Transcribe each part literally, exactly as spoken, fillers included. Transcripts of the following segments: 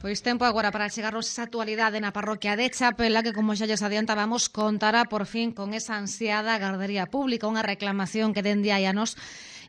Pois tempo agora para chegarnos esa actualidade na parroquia de Chapela, que como xa lles adiantábamos, contará por fin con esa ansiada gardería pública, unha reclamación que dende hai anos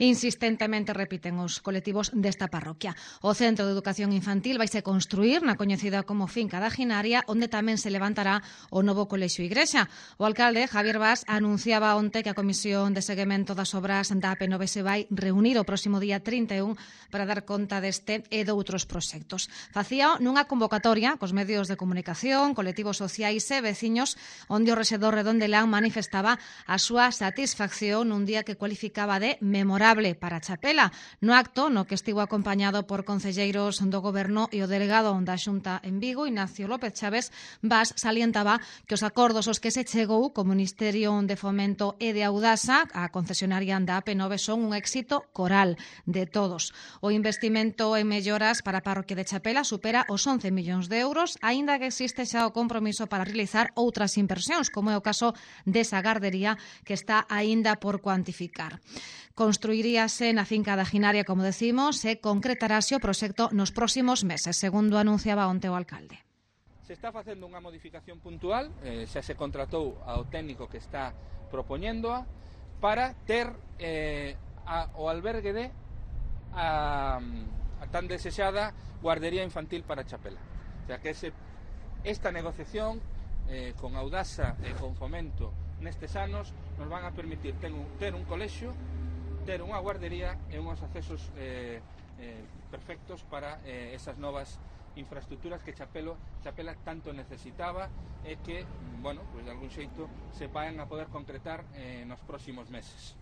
insistentemente repiten os colectivos desta parroquia. O Centro de Educación Infantil vaise construir na coñecida como Finca da Ginaria, onde tamén se levantará o novo colexio Igrexa. O alcalde, Javier Bas, anunciaba onte que a Comisión de Seguimento das Obras da A P nove se vai reunir o próximo día trinta e un para dar conta deste e doutros proxectos. Facía nunha convocatoria cos medios de comunicación, colectivos sociais e veciños, onde o rexedor Redondelán manifestaba a súa satisfacción nun día que cualificaba de memorable para Chapela. No acto, no que estivo acompañado por concelleiros do Goberno e o delegado da Xunta en Vigo, Ignacio López Chaves, Bas salientaba que os acordos aos que se chegou co Ministerio de Fomento e de Audasa, a concesionaria da A P nove, son un éxito coral de todos. O investimento en melloras para a parroquia de Chapela supera os once millóns de euros, aínda que existe xa o compromiso para realizar outras inversións, como é o caso desa gardería que está aínda por cuantificar. Construiríase na finca da Ginaria, como decimos, e concretarase o proxecto nos próximos meses, segundo anunciaba onte o alcalde. Se está facendo unha modificación puntual, eh, xa se contratou ao técnico que está propoñéndoa para ter eh, a, o albergue de a, a tan desexada guardería infantil para Chapela. O sea que ese, esta negociación eh, con Audasa e con Fomento nestes anos nos van a permitir ter un, ter un colexio, ter unha guardería e uns accesos eh, eh, perfectos para eh, esas novas infraestructuras que Chapelo, Chapela tanto necesitaba e que, bueno, pues de algún xeito se van a poder concretar eh, nos próximos meses.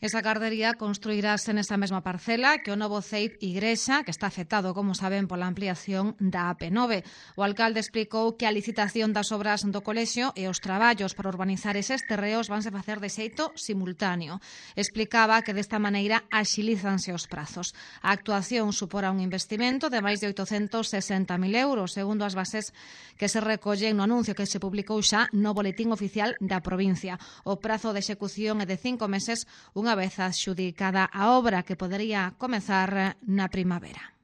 Esa gardería construirase nesa mesma parcela que o novo C E I P Igrexa, que está afectado, como saben, pola ampliación da A P nove. O alcalde explicou que a licitación das obras do colexio e os traballos para urbanizar eses terreos vanse facer de xeito simultáneo. Explicaba que desta maneira axilízanse os prazos. A actuación supora un investimento de máis de oitocentos sesenta mil euros, segundo as bases que se recollen no anuncio que se publicou xa no Boletín Oficial da provincia. O prazo de execución é de cinco meses, unha vez adxudicada a obra, que podería comezar na primavera.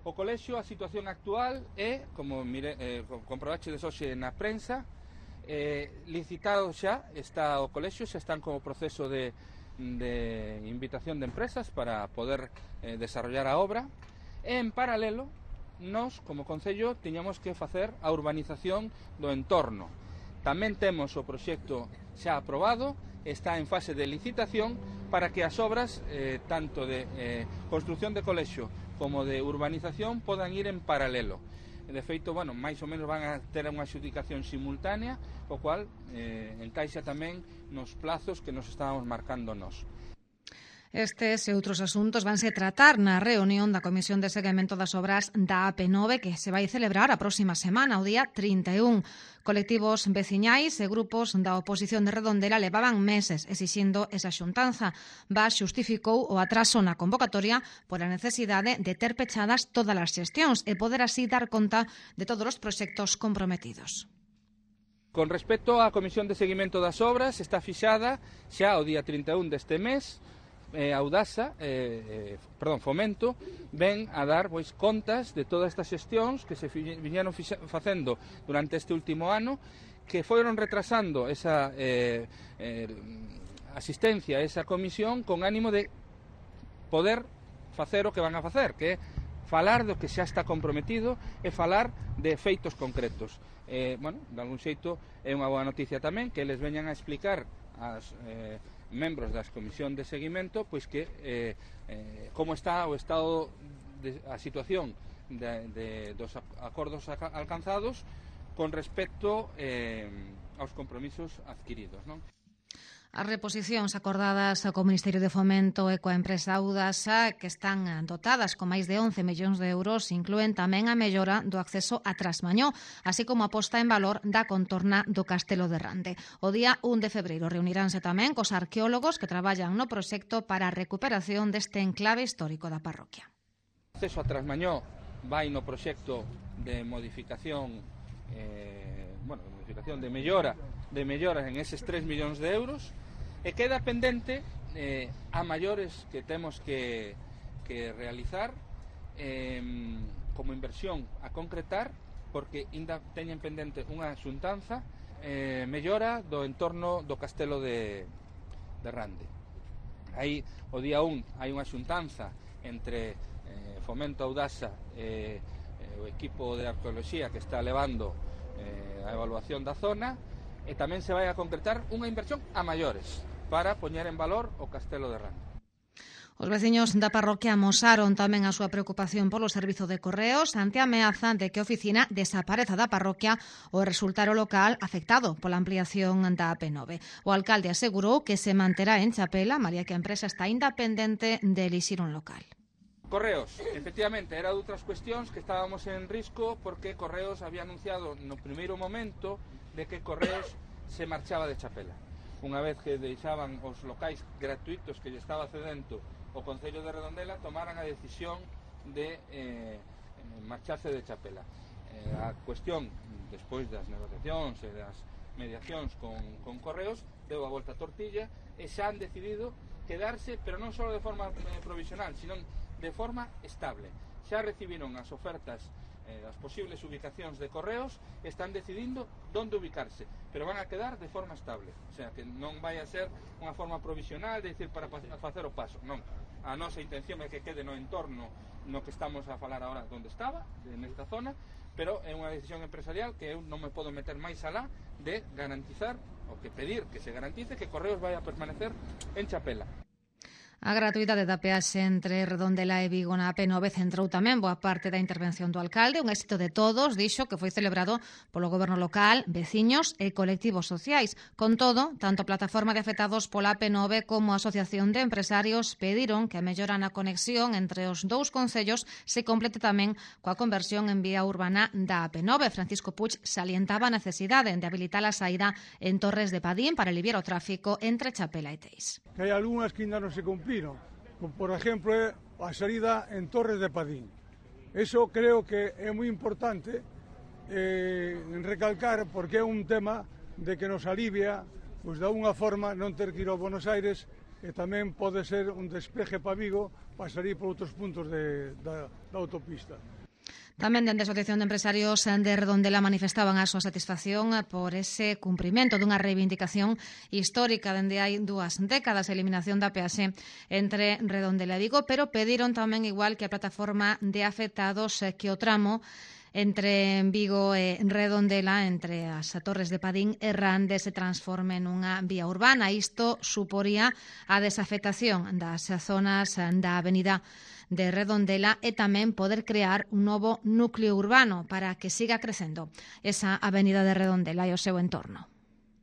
O colexio, a situación actual é, como mire, eh, comprobachedes hoxe na prensa, eh, licitado xa está o colexio, xa están como proceso de, de invitación de empresas para poder eh, desarrollar a obra, e en paralelo nós, como Concello, tiñamos que facer a urbanización do entorno. Tamén temos o proxecto xa aprobado, está en fase de licitación para que as obras, eh, tanto de eh, construcción de colexio como de urbanización, podan ir en paralelo. De feito, bueno, máis ou menos van a ter unha adxudicación simultánea, o cual eh, encaixa tamén nos plazos que nos estábamos marcando nós. Estes e outros asuntos vanse tratar na reunión da Comisión de Seguimento das Obras da A P nove, que se vai celebrar a próxima semana, o día trinta e un. Colectivos veciñais e grupos da oposición de Redondela levaban meses exixindo esa xuntanza. Bas xustificou o atraso na convocatoria por a necesidade de ter pechadas todas as xestións e poder así dar conta de todos os proxectos comprometidos. Con respecto á Comisión de Seguimento das Obras, está fixada xa o día trinta e un deste mes. Eh, Audasa, eh, eh, perdón, Fomento, ven a dar pois contas de todas estas xestións que se viñeron facendo durante este último ano, que foron retrasando esa eh, eh, asistencia a esa comisión con ánimo de poder facer o que van a facer, que é falar do que xa está comprometido e falar de feitos concretos. Eh, bueno, de algún xeito é unha boa noticia tamén que eles veñan a explicar as eh, membros das comisión de seguimento pois que eh, eh, como está o estado de, a situación de, de, dos acordos alcanzados con respecto eh, aos compromisos adquiridos, non? As reposicións acordadas co Ministerio de Fomento e coa empresa Audasa, que están dotadas con máis de once millóns de euros, inclúen tamén a mellora do acceso a Trasmañó, así como a posta en valor da contorna do Castelo de Rande. O día un de febreiro reuniránse tamén cos arqueólogos que traballan no proxecto para a recuperación deste enclave histórico da parroquia. O acceso a Trasmañó vai no proxecto de modificación eh, bueno, de modificación de mellora de melloras en eses tres millóns de euros, e queda pendente eh, a maiores que temos que, que realizar eh, como inversión a concretar, porque ainda teñen pendente unha xuntanza eh, mellora do entorno do castelo de, de Rande. Aí, o día un, hai unha xuntanza entre eh, Fomento Audasa e eh, o equipo de arqueoloxía que está levando eh, a evaluación da zona, e tamén se vai a concretar unha inversión a maiores para poñer en valor o castelo de Rande. Os veciños da parroquia amosaron tamén a súa preocupación polo servizo de correos ante a ameaza de que a oficina desapareza da parroquia ou resultar o local afectado pola ampliación da A P nove. O alcalde asegurou que se manterá en Chapela, malia que a empresa está independente de elixir un local. Correos, efectivamente, era de outras cuestións que estábamos en risco porque Correos había anunciado no primeiro momento de que Correos se marchaba de Chapela. Unha vez que deixaban os locais gratuitos que lle estaba cedendo o Concello de Redondela, tomaran a decisión de eh, marcharse de Chapela. Eh, a cuestión, despois das negociacións e das mediacións con, con Correos, deu a volta a tortilla e xa han decidido quedarse, pero non só de forma eh, provisional, sino de forma estable. Xa recibiron as ofertas eh, das posibles ubicacións de Correos, están decidindo onde ubicarse, pero van a quedar de forma estable. O sea, que non vai a ser unha forma provisional de decir para facer o paso. Non, a nosa intención é que quede no entorno no que estamos a falar agora onde estaba, nesta zona, pero é unha decisión empresarial que eu non me podo meter máis alá de garantizar, ou que pedir que se garantice que Correos vai a permanecer en Chapela. A gratuidade da peaxe entre Redondela e Vigo na A P nove centrou tamén boa parte da intervención do alcalde, un éxito de todos, dixo que foi celebrado polo goberno local, veciños e colectivos sociais. Con todo, tanto a plataforma de afectados pola A P nove como a Asociación de Empresarios pediron que a mellora na conexión entre os dous concellos se complete tamén coa conversión en vía urbana da A P nove. Francisco Puig salientaba a necesidade de habilitar a saída en Torres de Padín para aliviar o tráfico entre Chapela e Teis. Hai algunhas que ainda non se cumpliron. Por exemplo, a salida en Torres de Padín. Eso creo que é moi importante eh, recalcar, porque é un tema de que nos alivia, pois de unha forma non ter que ir ao Buenos Aires, e tamén pode ser un despeje para Vigo para salir por outros puntos de, da, da autopista. Tamén dende a Asociación de Empresarios de Redondela manifestaban a súa satisfacción por ese cumprimento dunha reivindicación histórica dende hai dúas décadas, a eliminación da peaxe entre Redondela e Vigo, pero pediron tamén, igual que a plataforma de afectados, que o tramo entre Vigo e Redondela, entre as Torres de Padín e Rande, se transforme nunha vía urbana. Isto suporía a desafectación das zonas da avenida de Redondela e tamén poder crear un novo núcleo urbano para que siga crecendo esa avenida de Redondela e o seu entorno.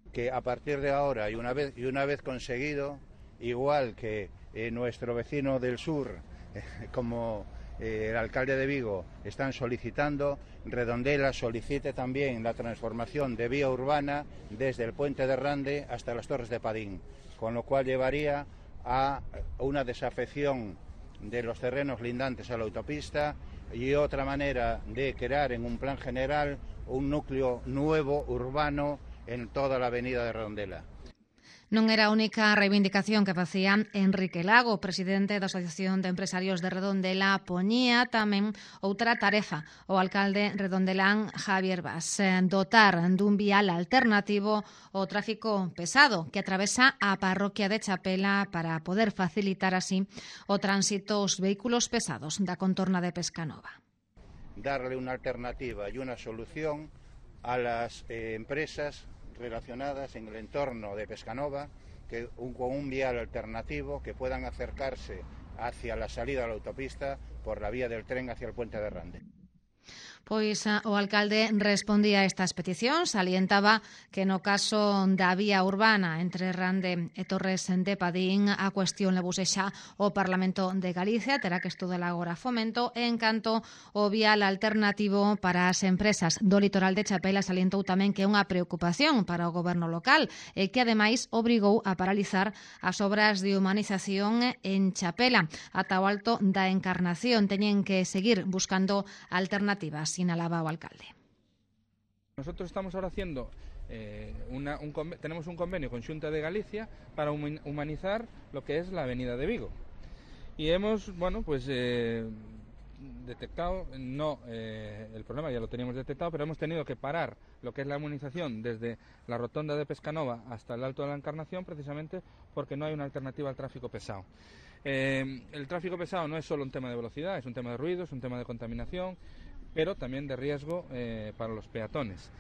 Que a partir de ahora y una vez, y una vez conseguido, igual que eh, nuestro vecino del sur, eh, como eh, el alcalde de Vigo, están solicitando, Redondela solicite también la transformación de vía urbana desde el puente de Rande hasta las Torres de Padín, con lo cual llevaría a una desafección de los terrenos lindantes a la autopista y otra manera de crear en un plan general un núcleo nuevo urbano en toda la avenida de Redondela. Non era a única reivindicación que facía Enrique Lago, presidente da Asociación de Empresarios de Redondela, poñía tamén outra tarefa o alcalde redondelán Javier Bas, dotar dun vial alternativo ao tráfico pesado que atravesa a parroquia de Chapela para poder facilitar así o tránsito aos vehículos pesados da contorna de Pescanova. Darle una alternativa y una solución a las eh, empresas relacionadas en el entorno de Pescanova, que un, con un vial alternativo que puedan acercarse hacia la salida de la autopista por la vía del tren hacia el puente de Rande. Pois o alcalde respondía a estas peticións, salientaba que no caso da vía urbana entre Rande e Torres de Padín a cuestión levouse xa o Parlamento de Galicia, terá que estudar agora Fomento, e en canto o vial alternativo para as empresas do litoral de Chapela salientou tamén que é unha preocupación para o goberno local e que ademais obrigou a paralizar as obras de humanización en Chapela. Ata o alto da Encarnación teñen que seguir buscando alternativas, sinalaba o alcalde. Nosotros estamos ahora haciendo, eh, una, un, tenemos un convenio con Xunta de Galicia para humanizar lo que es la avenida de Vigo. Y hemos, bueno, pues eh, detectado, no eh, el problema ya lo teníamos detectado, pero hemos tenido que parar lo que es la armonización desde la rotonda de Pescanova hasta el Alto de la Encarnación, precisamente porque no hay una alternativa al tráfico pesado. Eh, el tráfico pesado no es solo un tema de velocidad, es un tema de ruido, es un tema de contaminación, pero también de riesgo eh, para los peatones.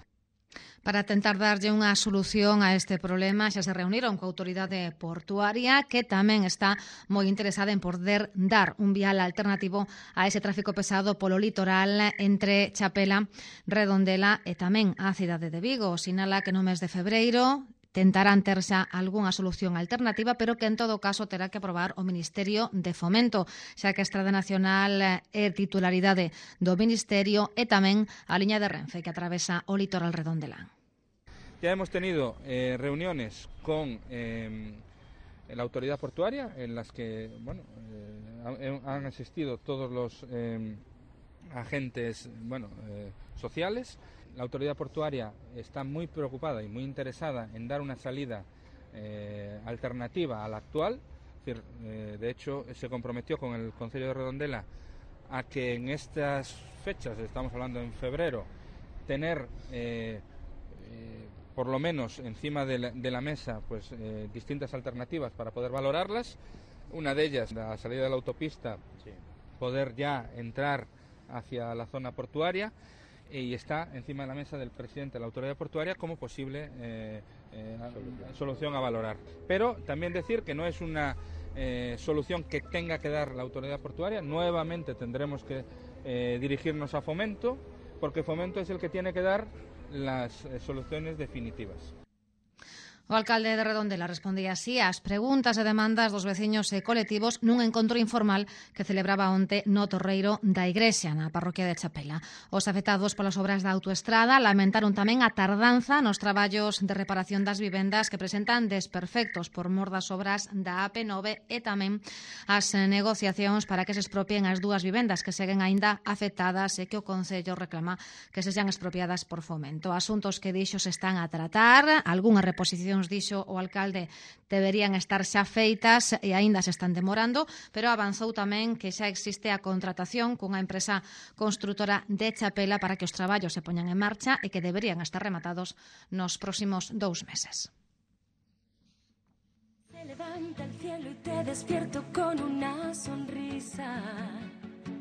Para tentar darlle unha solución a este problema, xa se reuniron coa autoridade portuaria, que tamén está moi interesada en poder dar un vial alternativo a ese tráfico pesado polo litoral entre Chapela, Redondela e tamén a cidade de Vigo. Sinala que no mes de febreiro tentarán ter xa algunha solución alternativa, pero que en todo caso terá que aprobar o Ministerio de Fomento, xa que a Estrada Nacional é titularidade do Ministerio e tamén a liña de Renfe que atravesa o litoral redondelán. Ya hemos tenido eh, reuniones con eh, la autoridad portuaria en las que bueno, eh, han asistido todos los eh, agentes bueno, eh, sociales. La autoridad portuaria está muy preocupada y muy interesada en dar una salida eh, alternativa a la actual. Es decir, eh, de hecho, se comprometió con el Concello de Redondela a que en estas fechas, estamos hablando en febrero, tener eh, eh, por lo menos encima de la, de la mesa pues eh, distintas alternativas para poder valorarlas. Una de ellas, la salida de la autopista, sí. Poder ya entrar hacia la zona portuaria, y está encima de la mesa del presidente de la autoridad portuaria como posible eh, eh, solución. solución a valorar. Pero también decir que no es una eh, solución que tenga que dar la autoridad portuaria. Nuevamente tendremos que eh, dirigirnos a Fomento, porque Fomento es el que tiene que dar las eh, soluciones definitivas. O alcalde de Redondela respondía así ás preguntas e demandas dos veciños e colectivos nun encontro informal que celebraba onte no Torreiro da Igrexa, na parroquia de Chapela. Os afectados polas obras da autoestrada lamentaron tamén a tardanza nos traballos de reparación das vivendas que presentan desperfectos por mor das obras da A P nove e tamén as negociacións para que se expropien as dúas vivendas que seguen aínda afectadas e que o Concello reclama que se sean expropiadas por Fomento. Asuntos que dixo se están a tratar, algunha reposición dixo o alcalde deberían estar xa feitas e aínda se están demorando, pero avanzou tamén que xa existe a contratación cunha empresa construtora de Chapela para que os traballos se poñan en marcha e que deberían estar rematados nos próximos dous meses. Se levanta el cielo y te despierto con una sonrisa.